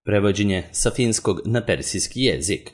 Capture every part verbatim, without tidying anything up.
Prevođenje sa finskog na persijski jezik.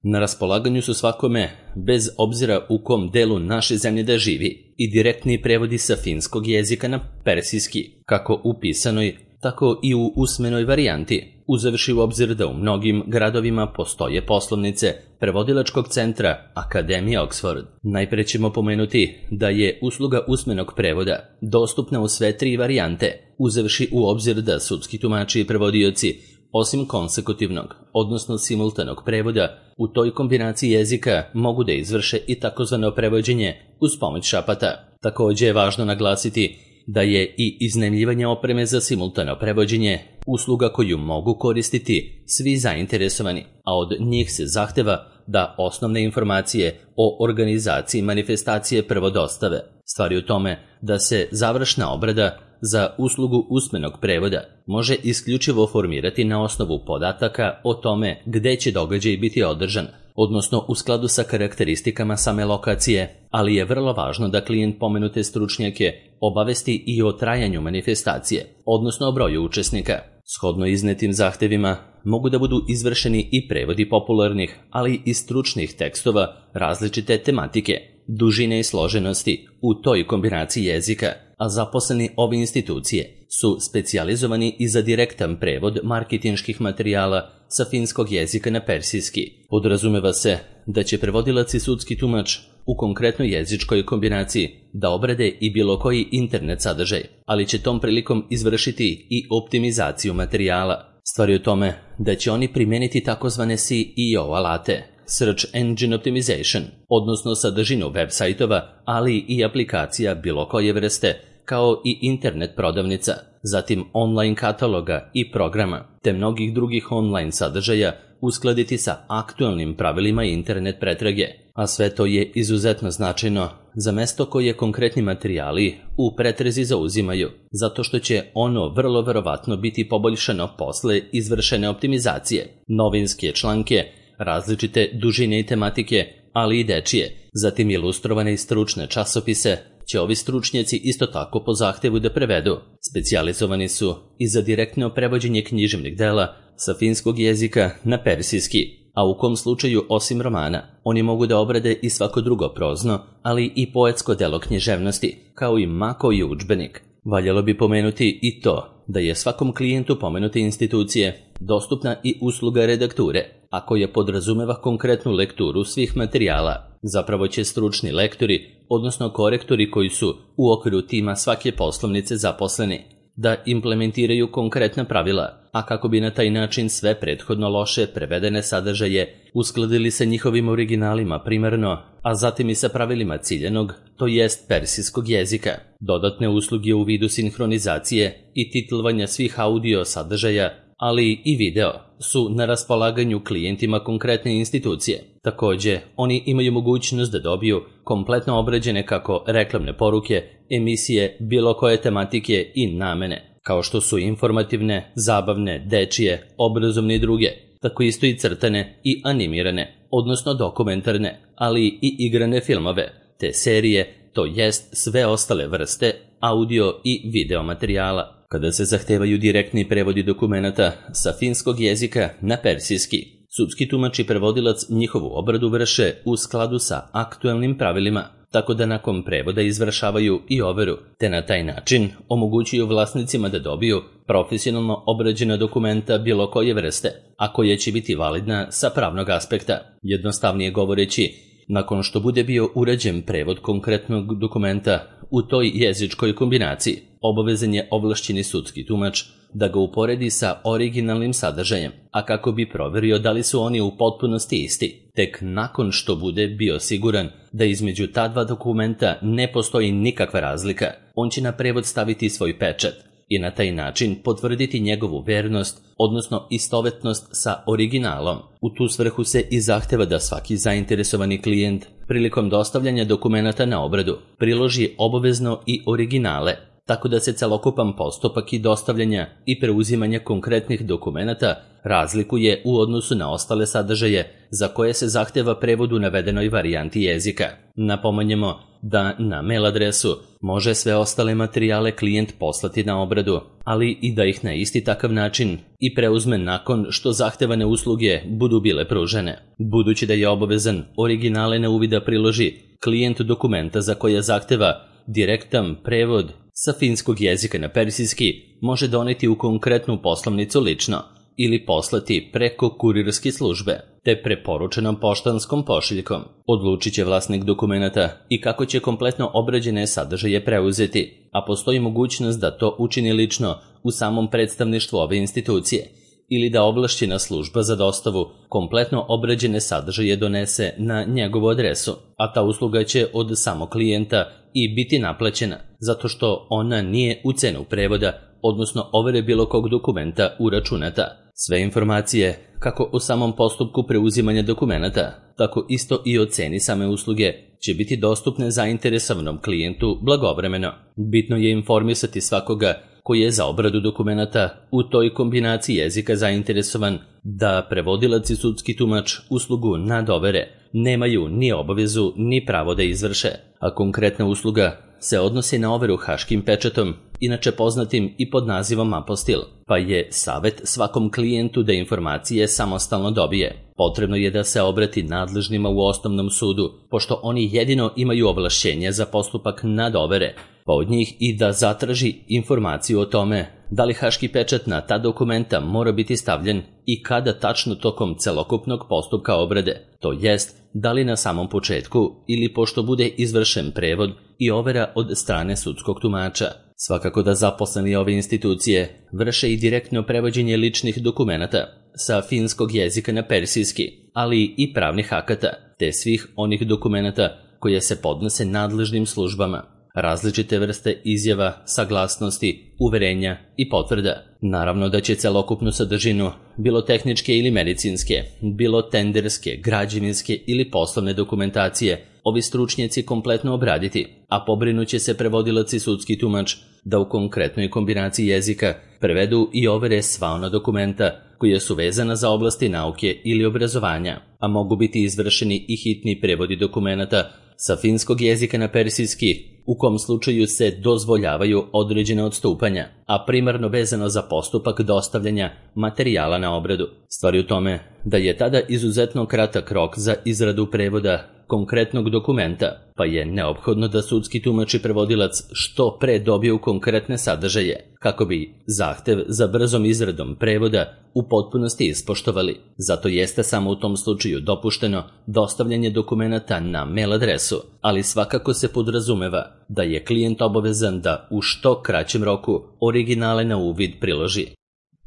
Na raspolaganju su svakome, bez obzira u kom delu naše zemlje da živi, i direktni prevodi sa finskog jezika na persijski, kako u pisanoj, tako i u usmenoj varijanti, uzevši u obzir da u mnogim gradovima postoje poslovnice prevodilačkog centra Akademije Oxford. Najpre ćemo pomenuti da je usluga usmenog prevoda dostupna u sve tri varijante, uzevši u obzir da sudski tumači i prevodioci, osim konsekutivnog, odnosno simultanog prevoda, u toj kombinaciji jezika mogu da izvrše i takozvano prevođenje uz pomoć šapata. Također je važno naglasiti da je i iznajmljivanje opreme za simultano prevođenje usluga koju mogu koristiti svi zainteresovani, a od njih se zahteva da osnovne informacije o organizaciji manifestacije prvo dostave. Stvar je u tome da se završna obrada za uslugu usmenog prevoda može isključivo formirati na osnovu podataka o tome gde će događaj biti održan, odnosno u skladu sa karakteristikama same lokacije, ali je vrlo važno da klijent pomenute stručnjake obavesti i o trajanju manifestacije, odnosno o broju učesnika. Shodno iznetim zahtevima mogu da budu izvršeni i prevodi popularnih, ali i stručnih tekstova različite tematike, dužine i složenosti u toj kombinaciji jezika, a zaposleni ove institucije su specijalizovani i za direktan prevod marketinških materijala sa finskog jezika na persijski. Podrazumeva se da će prevodilac i sudski tumač u konkretnoj jezičkoj kombinaciji da obrade i bilo koji internet sadržaj, ali će tom prilikom izvršiti i optimizaciju materijala. Stvar je u tome da će oni primeniti takozvane S E O alate, Search Engine Optimization, odnosno sadržinu web sajtova, ali i aplikacija bilo koje vrste, kao i internet prodavnica, zatim online kataloga i programa, te mnogih drugih online sadržaja uskladiti sa aktualnim pravilima internet pretrage, a sve to je izuzetno značajno za mesto koje konkretni materijali u pretrezi zauzimaju, zato što će ono vrlo verovatno biti poboljšano posle izvršene optimizacije. Novinske članke, različite dužine i tematike, ali i dečije, zatim ilustrovane i stručne časopise, će ovi stručnjaci isto tako po zahtevu da prevedu. Specijalizovani su i za direktno prevođenje književnih dela sa finskog jezika na persijski, a u kom slučaju osim romana, oni mogu da obrade i svako drugo prozno, ali i poetsko delo književnosti, kao i ma koji udžbenik. Valjalo bi pomenuti i to da je svakom klijentu pomenute institucije dostupna i usluga redakture, a koja podrazumeva konkretnu lekturu svih materijala. Zapravo će stručni lektori, odnosno korektori koji su u okviru tima svake poslovnice zaposleni, da implementiraju konkretna pravila, a kako bi na taj način sve prethodno loše prevedene sadržaje uskladili sa njihovim originalima primarno, a zatim i sa pravilima ciljanog, to jest persijskog jezika. Dodatne usluge u vidu sinhronizacije i titlovanja svih audio sadržaja, ali i video, su na raspolaganju klijentima konkretne institucije. Također, oni imaju mogućnost da dobiju kompletno obrađene kako reklamne poruke, emisije, bilo koje tematike i namene, kao što su informativne, zabavne, dečije, obrazovne i druge, tako isto i crtane i animirane, odnosno dokumentarne, ali i igrane filmove, te serije, to jest sve ostale vrste audio i video materijala. Kada se zahtevaju direktni prevodi dokumenata sa finskog jezika na persijski, sudski tumač i prevodilac njihovu obradu vrše u skladu sa aktualnim pravilima, tako da nakon prevoda izvršavaju i overu, te na taj način omogućuju vlasnicima da dobiju profesionalno obrađena dokumenta bilo koje vrste, a koja će biti validna sa pravnog aspekta. Jednostavnije govoreći, nakon što bude bio urađen prevod konkretnog dokumenta u toj jezičkoj kombinaciji, obavezan je ovlašćeni sudski tumač da ga uporedi sa originalnim sadržajem, a kako bi proverio da li su oni u potpunosti isti. Tek nakon što bude bio siguran da između ta dva dokumenta ne postoji nikakva razlika, on će na prevod staviti svoj pečat i na taj način potvrditi njegovu vernost, odnosno istovetnost sa originalom. U tu svrhu se i zahteva da svaki zainteresovani klijent prilikom dostavljanja dokumenata na obradu priloži obavezno i originale, tako da se celokupan postupak i dostavljanja i preuzimanja konkretnih dokumenata razlikuje u odnosu na ostale sadržaje za koje se zahteva prevod u navedenoj varijanti jezika. Napominjemo da na mail adresu može sve ostale materijale klijent poslati na obradu, ali i da ih na isti takav način i preuzme nakon što zahtevane usluge budu bile pružene. Budući da je obavezan originale na uvida priloži, klijent dokumenta za koje zahteva direktan prevod sa finskog jezika na persijski može doneti u konkretnu poslovnicu lično ili poslati preko kurirske službe, te preporučenom poštanskom pošiljkom. Odlučit će vlasnik dokumenta i kako će kompletno obrađene sadržaje preuzeti, a postoji mogućnost da to učini lično u samom predstavništvu ove institucije ili da ovlašćena služba za dostavu kompletno obrađene sadržaje donese na njegovu adresu, a ta usluga će od samog klijenta i biti naplaćena, zato što ona nije u cenu prevoda, odnosno overe bilo kog dokumenta uračunata. Sve informacije, kako o samom postupku preuzimanja dokumenata, tako isto i o ceni same usluge, će biti dostupne zainteresovanom klijentu blagovremeno. Bitno je informisati svakoga koji je za obradu dokumenata u toj kombinaciji jezika zainteresovan da prevodilac i sudski tumač uslugu nadovere nemaju ni obavezu ni pravo da izvrše, a konkretna usluga se odnosi na overu haškim pečatom, inače poznatim i pod nazivom apostil, pa je savjet svakom klijentu da informacije samostalno dobije. Potrebno je da se obrati nadležnima u osnovnom sudu, pošto oni jedino imaju ovlašćenje za postupak nadovere, pa od njih i da zatraži informaciju o tome da li haški pečat na ta dokumenta mora biti stavljen i kada tačno tokom celokupnog postupka obrade, to jest da li na samom početku ili pošto bude izvršen prevod i overa od strane sudskog tumača. Svakako da zaposleni ove institucije vrše i direktno prevođenje ličnih dokumenata sa finskog jezika na persijski, ali i pravnih akata, te svih onih dokumenata koje se podnose nadležnim službama, različite vrste izjava, saglasnosti, uverenja i potvrda. Naravno da će celokupnu sadržinu, bilo tehničke ili medicinske, bilo tenderske, građevinske ili poslovne dokumentacije, ovi stručnjaci kompletno obraditi, a pobrinuće se prevodilac i sudski tumač da u konkretnoj kombinaciji jezika prevedu i overe sva ona dokumenta koja su vezana za oblasti nauke ili obrazovanja, a mogu biti izvršeni i hitni prevodi dokumenata sa finskog jezika na persijski, u kom slučaju se dozvoljavaju određene odstupanja, a primarno vezano za postupak dostavljanja materijala na obradu. Stvar je u tome da je tada izuzetno kratak rok za izradu prevoda konkretnog dokumenta, pa je neophodno da sudski tumač i prevodilac što pre dobiju konkretne sadržaje, kako bi zahtev za brzom izradom prevoda u potpunosti ispoštovali. Zato jeste samo u tom slučaju dopušteno dostavljanje dokumenata na mail adresu, ali svakako se podrazumeva da je klijent obavezan da u što kraćem roku originale na uvid priloži.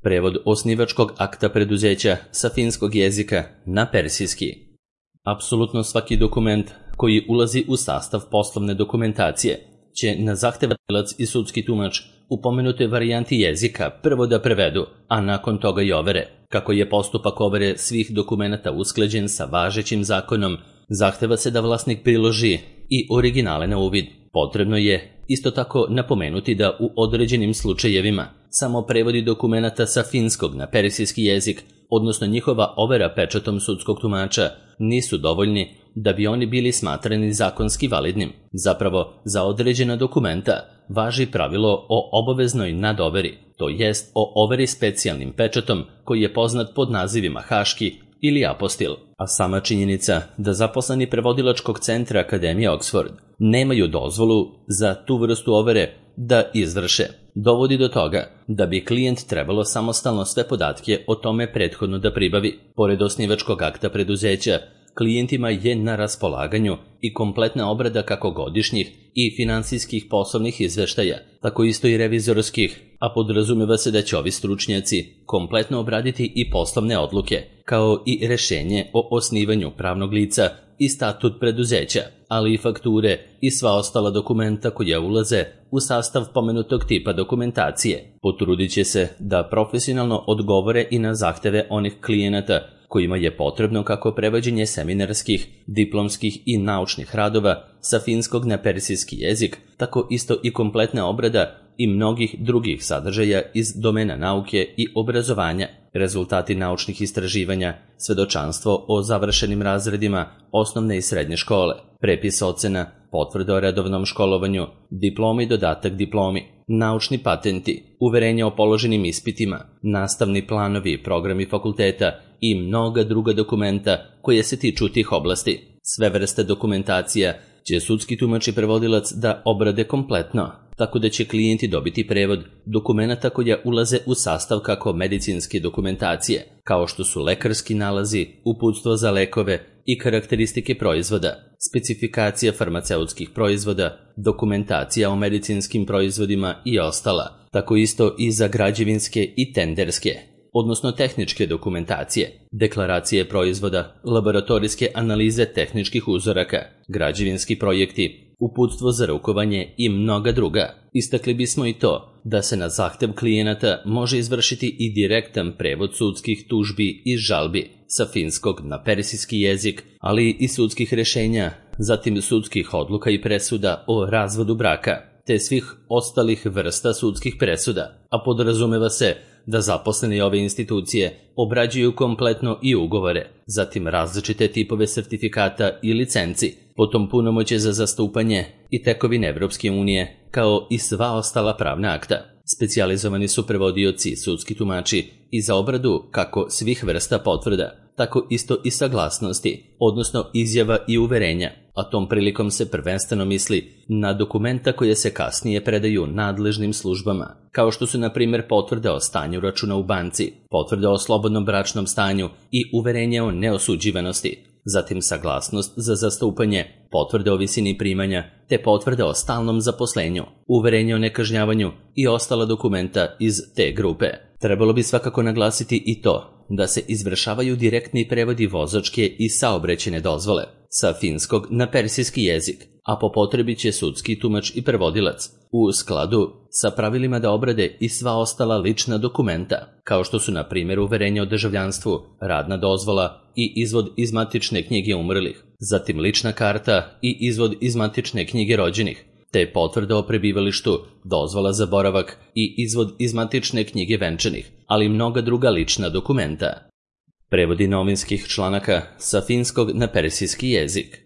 Prevod osnivačkog akta preduzeća sa finskog jezika na persijski. Apsolutno svaki dokument koji ulazi u sastav poslovne dokumentacije će na zahtevatilac i sudski tumač u pomenutoj varijanti jezika prvo da prevedu, a nakon toga i overe. Kako je postupak overe svih dokumenata usklađen sa važećim zakonom, zahteva se da vlasnik priloži i originale na uvid. Potrebno je isto tako napomenuti da u određenim slučajevima samo prevodi dokumenata sa finskog na persijski jezik, odnosno njihova overa pečatom sudskog tumača, nisu dovoljni da bi oni bili smatrani zakonski validnim. Zapravo, za određena dokumenta važi pravilo o obaveznoj nadoveri, to jest o overi specijalnim pečatom koji je poznat pod nazivima haški ili apostil. A sama činjenica da zaposleni prevodilačkog centra Akademije Oxford nemaju dozvolu za tu vrstu overe da izvrše, dovodi do toga da bi klijent trebalo samostalno sve podatke o tome prethodno da pribavi. Pored osnivačkog akta preduzeća, klijentima je na raspolaganju i kompletna obrada kako godišnjih i finansijskih poslovnih izveštaja, tako isto i revizorskih, a podrazumeva se da će ovi stručnjaci kompletno obraditi i poslovne odluke, kao i rešenje o osnivanju pravnog lica i statut preduzeća, ali i fakture i sva ostala dokumenta koja ulaze u sastav pomenutog tipa dokumentacije. Potrudit će se da profesionalno odgovore i na zahteve onih klijenata kojima je potrebno kako prevođenje seminarskih, diplomskih i naučnih radova sa finskog na persijski jezik, tako isto i kompletna obrada i mnogih drugih sadržaja iz domena nauke i obrazovanja, rezultati naučnih istraživanja, svedočanstvo o završenim razredima osnovne i srednje škole, prepis ocena, potvrda o redovnom školovanju, diploma i dodatak diplomi, naučni patenti, uverenja o položenim ispitima, nastavni planovi i programi fakulteta i mnoga druga dokumenta koje se tiču tih oblasti. Sve vrste dokumentacija će sudski tumač i prevodilac da obrade kompletno, tako da će klijenti dobiti prevod dokumenata koja ulaze u sastav kako medicinske dokumentacije, kao što su lekarski nalazi, uputstvo za lekove i karakteristike proizvoda, specifikacija farmaceutskih proizvoda, dokumentacija o medicinskim proizvodima i ostala, tako isto i za građevinske i tenderske, odnosno tehničke dokumentacije, deklaracije proizvoda, laboratorijske analize tehničkih uzoraka, građevinski projekti, uputstvo za rukovanje i mnoga druga. Istakli bismo i to da se na zahtev klijenata može izvršiti i direktan prevod sudskih tužbi i žalbi sa finskog na persijski jezik, ali i sudskih rešenja, zatim sudskih odluka i presuda o razvodu braka, te svih ostalih vrsta sudskih presuda, a podrazumeva se da zaposleni ove institucije obrađuju kompletno i ugovore, zatim različite tipove sertifikata i licenci, potom punomoćje za zastupanje i tekovine Evropske unije, kao i sva ostala pravna akta. Specijalizovani su prevodioci i sudski tumači i za obradu kako svih vrsta potvrda, tako isto i saglasnosti, odnosno izjava i uverenja, a tom prilikom se prvenstveno misli na dokumenta koje se kasnije predaju nadležnim službama, kao što su na primjer potvrde o stanju računa u banci, potvrde o slobodnom bračnom stanju i uverenje o neosuđivanosti, zatim saglasnost za zastupanje, potvrde o visini primanja, te potvrde o stalnom zaposlenju, uverenje o nekažnjavanju i ostala dokumenta iz te grupe. Trebalo bi svakako naglasiti i to da se izvršavaju direktni prevodi vozačke i saobraćajne dozvole sa finskog na persijski jezik, a po potrebi će sudski tumač i prevodilac u skladu sa pravilima da obrade i sva ostala lična dokumenta, kao što su na primjer uverenje o državljanstvu, radna dozvola i izvod iz matične knjige umrlih, zatim lična karta i izvod iz matične knjige rođenih, te potvrda o prebivalištu, dozvola za boravak i izvod iz matične knjige venčanih, ali i mnoga druga lična dokumenta. Prevodi novinskih članaka sa finskog na persijski jezik.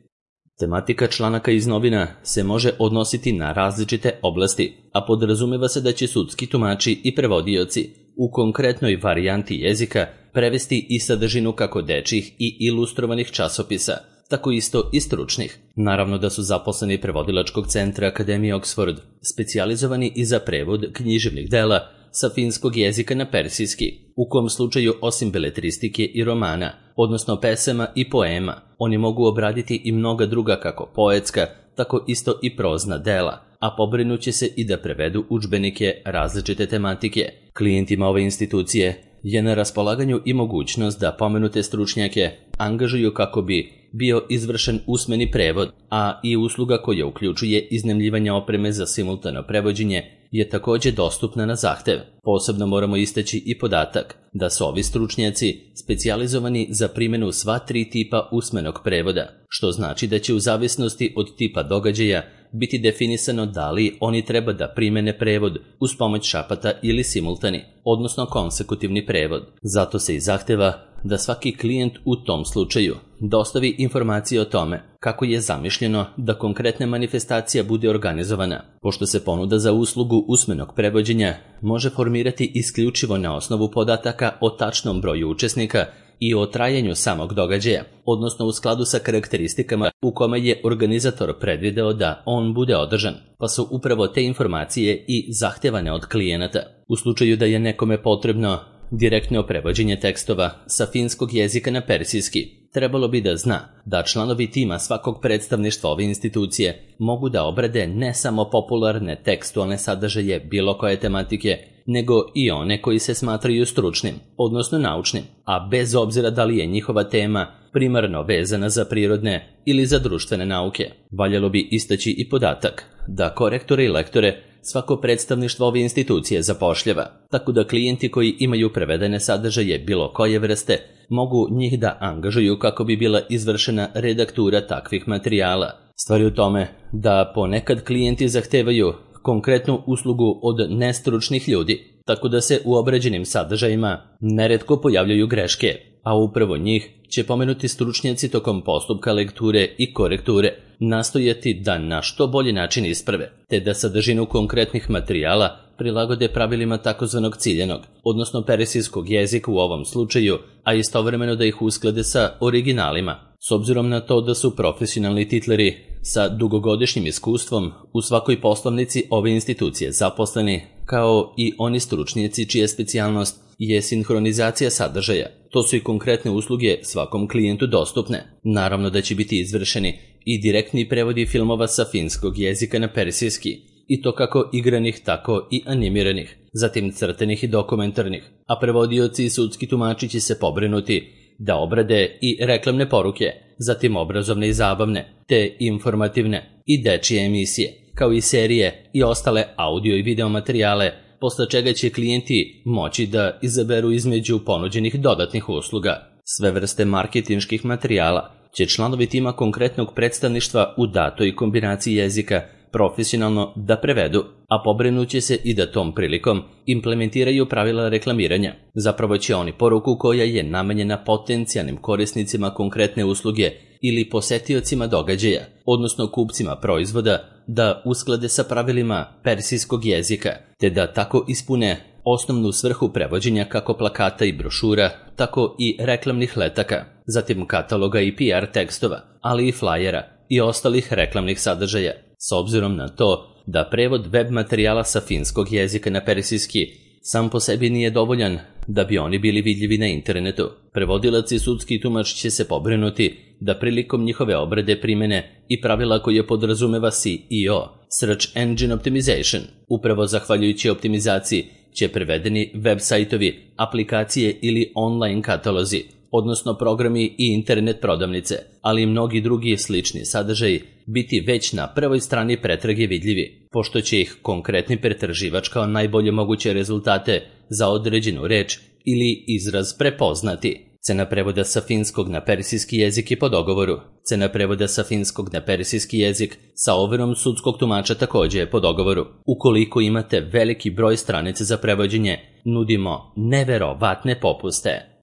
Tematika članaka iz novina se može odnositi na različite oblasti, a podrazumeva se da će sudski tumači i prevodioci u konkretnoj varijanti jezika prevesti i sadržinu kako dečjih i ilustrovanih časopisa, tako isto i stručnih. Naravno da su zaposleni prevodilačkog centra Akademije Oxford specijalizovani i za prevod književnih dela sa finskog jezika na persijski, u kom slučaju osim beletristike i romana, odnosno pesama i poema, oni mogu obraditi i mnoga druga kako poetska, tako isto i prozna dela, a pobrinuće se i da prevedu udžbenike različite tematike. Klijentima ove institucije je na raspolaganju i mogućnost da pomenute stručnjake angažuju kako bi bio izvršen usmeni prevod, a i usluga koja uključuje iznajmljivanje opreme za simultano prevođenje je također dostupna na zahtev. Posebno moramo istaći i podatak da su ovi stručnjaci specijalizovani za primjenu sva tri tipa usmenog prevoda, što znači da će u zavisnosti od tipa događaja biti definisano da li oni treba da primene prevod uz pomoć šapata ili simultani, odnosno konsekutivni prevod. Zato se i zahteva da svaki klijent u tom slučaju dostavi informacije o tome kako je zamišljeno da konkretna manifestacija bude organizovana, pošto se ponuda za uslugu usmenog prevođenja može formirati isključivo na osnovu podataka o tačnom broju učesnika i o trajanju samog događaja, odnosno u skladu sa karakteristikama u kome je organizator predvideo da on bude održan, pa su upravo te informacije i zahtevane od klijenata. U slučaju da je nekome potrebno direktno prevođenje tekstova sa finskog jezika na persijski, trebalo bi da zna da članovi tima svakog predstavništva ove institucije mogu da obrade ne samo popularne tekstualne sadržaje bilo koje tematike, nego i one koji se smatraju stručnim, odnosno naučnim, a bez obzira da li je njihova tema primarno vezana za prirodne ili za društvene nauke. Valjalo bi istaći i podatak da korektore i lektore svako predstavništvo ove institucije zapošljava, tako da klijenti koji imaju prevedene sadržaje bilo koje vrste mogu njih da angažuju kako bi bila izvršena redaktura takvih materijala. Stvar je u tome da ponekad klijenti zahtevaju konkretnu uslugu od nestručnih ljudi, tako da se u obrađenim sadržajima neretko pojavljaju greške, a upravo njih će pomenuti stručnjaci tokom postupka lekture i korekture nastojati da na što bolji način isprave, te da sadržinu konkretnih materijala prilagode pravilima takozvanog ciljanog, odnosno persijskog jezika u ovom slučaju, a istovremeno da ih usklade sa originalima, s obzirom na to da su profesionalni titleri sa dugogodišnjim iskustvom u svakoj poslovnici ove institucije zaposleni, kao i oni stručnjaci čija specijalnost je sinhronizacija sadržaja. To su i konkretne usluge svakom klijentu dostupne. Naravno da će biti izvršeni i direktni prevodi filmova sa finskog jezika na persijski, i to kako igranih, tako i animiranih, zatim crtenih i dokumentarnih, a prevodioci i sudski tumači će se pobrinuti da obrade i reklamne poruke, zatim obrazovne i zabavne, te informativne i dečije emisije, kao i serije i ostale audio i video materijale, posle čega će klijenti moći da izaberu između ponuđenih dodatnih usluga. Sve vrste marketinških materijala će članovi tima konkretnog predstavništva u datoj kombinaciji jezika profesionalno da prevedu, a pobrinuće se i da tom prilikom implementiraju pravila reklamiranja. Zapravo će oni poruku koja je namenjena potencijalnim korisnicima konkretne usluge ili posetiocima događaja, odnosno kupcima proizvoda, da usklade sa pravilima persijskog jezika, te da tako ispune osnovnu svrhu prevođenja kako plakata i brošura, tako i reklamnih letaka, zatim kataloga i P R tekstova, ali i flajera i ostalih reklamnih sadržaja. S obzirom na to da prevod web materijala sa finskog jezika na persijski sam po sebi nije dovoljan da bi oni bili vidljivi na internetu, prevodilac i sudski tumač će se pobrinuti da prilikom njihove obrade primene i pravila koje podrazumeva S E O, Search Engine Optimization. Upravo zahvaljujući optimizaciji će prevedeni web sajtovi, aplikacije ili online katalozi, odnosno programi i internet prodavnice, ali i mnogi drugi slični sadržaji biti već na prvoj strani pretrage vidljivi, pošto će ih konkretni pretraživač kao najbolje moguće rezultate za određenu reč ili izraz prepoznati. Cena prevoda sa finskog na persijski jezik je po dogovoru. Cena prevoda sa finskog na persijski jezik sa overom sudskog tumača također je po dogovoru. Ukoliko imate veliki broj stranica za prevođenje, nudimo neverovatne popuste.